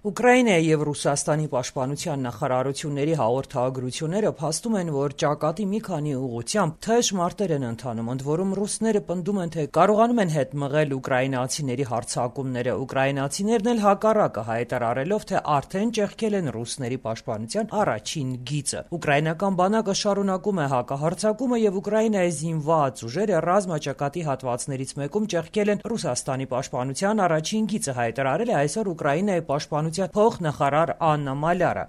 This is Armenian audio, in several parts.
Ուկրաինայի եւ Ռուսաստանի պաշտպանության նախարարությունների հաղորդագրությունները փաստում են, որ ճակատի մի քանի ուղղությամբ թեժ մարտեր են ընթանում, ընդ որում ռուսները պնդում են, թե կարողանում են հետ մղել ուկրաինացիների հարձակումները, ուկրաինացիներն էլ հակառակը հայտարարելով, թե արդեն ճեղքել են ռուսների պաշտպանության առաջին գիծը։ Ուկրաինական բանակը շարունակում է հակահարձակումը եւ Ուկրաինայի զինված ուժերը ռազմաճակատի հատվածներից մեկում ճեղքել են Ռուսաստանի պաշտպանության առաջին գիծը, հայտարարել է այսօր Ուկրաինայի պաշտպանության փոխնախարար Աննա Малярը.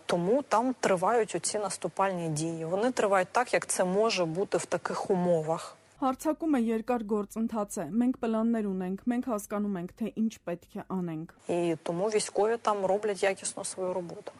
Тому там тривають оці наступальні дії. Вони тривають так, як це може бути в таких умовах. Հարձակումը երկար գործընթաց է։ Մենք պլաններ ունենք, մենք հասկանում ենք, թե ինչ պետք է անենք։ І тому військові там роблять якісно свою роботу.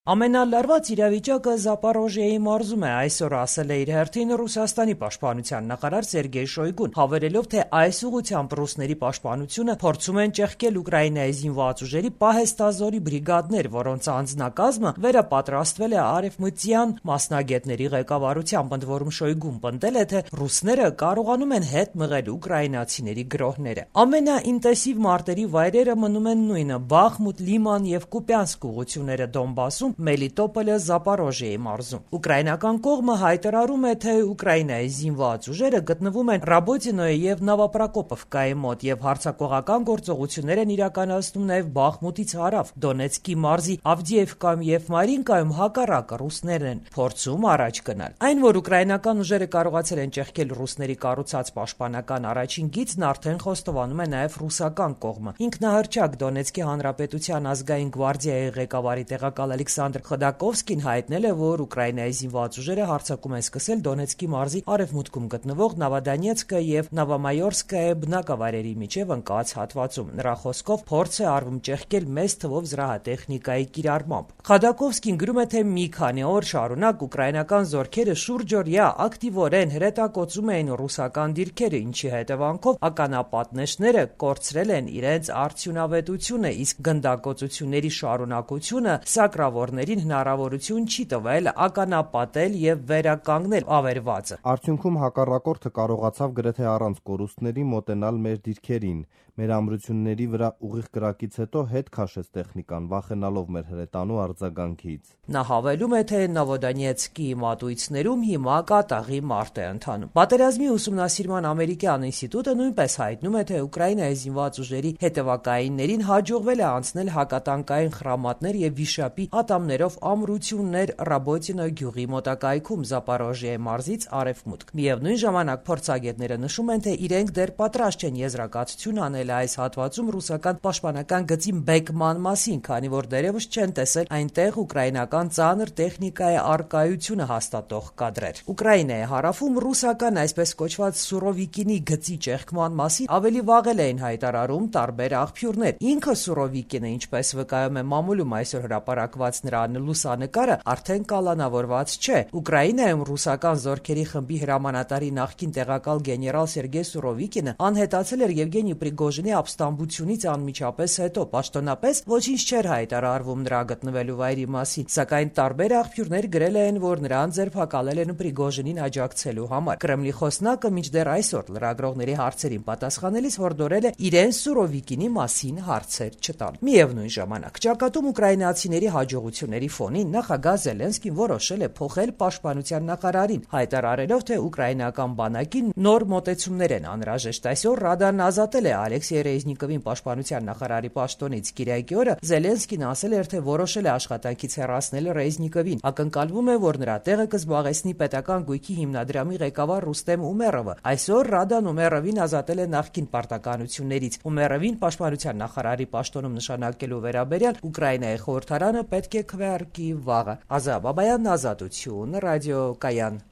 Ամենալարված իրավիճակը Զապորոժիեի մարզում է, այսօր ասել է իր հերթին Ռուսաստանի պաշտպանության նախարար Սերգեյ Շոյգուն, հավելելով, թե այս ուղղությամբ ռուսների պաշտպանությունը փորձում են ճեղքել Ուկրաինայի զինված ուժերի պահեստազորի բրիգադներ, որոնց անձնակազմը վերապատրաստվել է արևմտյան մասնագետների ղեկավարությամբ, ընդ որում Շոյգուն պնդել է, թե ռուսները կարողանում են հետ մղել ուկրաինացիների գրոհները։ Ամենաինտենսիվ մարտերի վայրերը մնում են նույնը՝ Բախմուտ, Լիման եւ Կուպյանսկ ուղղությունները Դոնբասում, Մելիտոպոլը, Զապորոժիեի մարզում։ Ուկրաինական կողմը հայտարարում է, թե Ուկրաինայի զինված ուժերը գտնվում են Ռաբոտինոյի եւ Նավապրակոպովկայի մոտ եւ հարձակողական գործողություններ են իրականացնում նաեւ Բախմուտից հարավ, Դոնեցկի մարզի Ավդիևկայում եւ Մարինկայում հակառակը ռուսներն են փորձում առաջ գնալ։ Այն, որ ուկրաինական ուժերը կարողացել են ճեղքել ռուսների կառուցած պաշտպանական առաջին գիծն, արդեն խոստովանում է նաեւ ռուսական կողմը։ Ինքնահռչակ Դոնեցկի հանրապետության ազգային գվարդիայի ղեկավարի տեղակալ Ալեքսանդր Խդակովսկին հայտնել է, որ Ուկրաինայի զինված ուժերը հարձակում են սկսել Դոնեցկի մարզի արևմուտքում գտնվող Նավադանիեցկը եւ Նավամայորսկայի բնակավայրերի միջև ընկած հատվածում։ Նրա խոսքով փորձ է արվում ճեղքել մեծ թվով զրահատեխնիկայի կիրառմամբ։ Խդակովսկին գրում է, թե մի քանի օր շարունակ ուկրաինական զորքերը շուրջօրյա ակտիվորեն հրետակոծում էին ռուսական դիրքերը, ինչի հետևանքով ականապատնեշները կորցրել են իրենց արդյունավետությունը, իսկ գնդակոծությունների շարունակությունը սակրավորներին հնարավորություն չի տվել ականապատել եւ վերականգնել ավերվածը։ Արդյունքում հակառակորդը կարողացավ գրեթե առանց կորուստների մոտենալ մեր դիրքերին։ Մեր ամրությունների վրա ուղիղ կրակից հետո հետ քաշեց տեխնիկան, վախենալով մեր հրետանու արձագանքից։ Նա հավելում է, թե Նովոդոնեցկի մատույցներում հիմա կատաղի մարտ է ընթանում։ Պատերազմի ուսումնասիրման ամերիկյան ինստիտուտը նույնպես հայտնում է, թե Ուկրաինայի զինված ուժերի հետևակայիններին հաջողվել է անցնել հակատանկային խրամատներ եւ վիշապի ատամներով ամրություններ Ռաբոտինո գյուղի մոտակայքում Զապորոժիեի մարզից արևմուտք։ Միևնույն ժամանակ փորձագետները նշում են, թե իրենք դեռ պատրաստ չեն եզրակացություն անել այս հատվածում ռուսական պաշտպանական գծի բեկման մասին, քանի որ դեռևս չեն տեսել այնտեղ ուկրաինական ծանր տեխնիկայի առկայությունը հաստատող կադրեր։ Ուկրաինայի հարավում ռուսական այսպես կոչված Սուրովիկինի գծի ճեղքման մասին ավելի վաղել էին հայտարարում տարբեր աղբյուրներ։ Ինքը Սուրովիկինը, ինչպես վկայում է մամուլում այսօր հրապարակված նրա լուսանկարը, արդեն կալանավորված չէ։ Ուկրաինայում ռուսական զորքերի խմբի հրամանատարի նախկին տեղակալ գեներալ Սերգեյ Սուրովիկինը անհետացել էր Եվգենի Պրիգոժինի ապստամբությունից անմիջապես հետո։ Պաշտոնապես ոչինչ չէր հայտարարվում նրա գտնվելու վայրի մասին, սակայն տարբեր աղբյուրներ գրել են, որ նրան ձերբակալել են Պրիգոժինին աջակցելու համար։ Կրեմլի խոսնակը մինչդեռ այսօր լրագրողների հարցերին պատասխանելիս հորդորել է իրեն Սուրովիկինի մասին հարցեր չտալ։ Միևնույն ժամանակ ճակատում ուկրաինացիների հաջողությունների ֆոնին նախագահ Զելենսկին որոշել է փոխել պաշտպանության նախարարին, հայտարարելով, թե ուկրաինական բանակին նոր մոտեցումներ են անհրաժեշտ։ Այսօր Ռադան ազատել է Ալեքսեյ Ռեզնիկովին պաշտպանության նախարարի պաշտոնից։ Կիրակի օրը Զելենսկին ասել էր, թե որոշել է աշխատանքից հեռացնել Ռեզնիկովին։ Ակնկալվում է, որ նրա տեղը կզբաղեցնի պետական գույքի հիմնադրամի ղեկավար Ռուստեմ Ումերովը։ Այսօր Ռադան Ումերովին ազատել է նախկին պարտականություններից։ Ումերովին պաշտպանության նախարարի պաշտոնում նշանակելու վերաբերյալ Ուկրաինայի խորհրդարանը պետք է քվեարկի վաղը։ Ազա Բաբայան, Ազատություն, ռադիոկայան։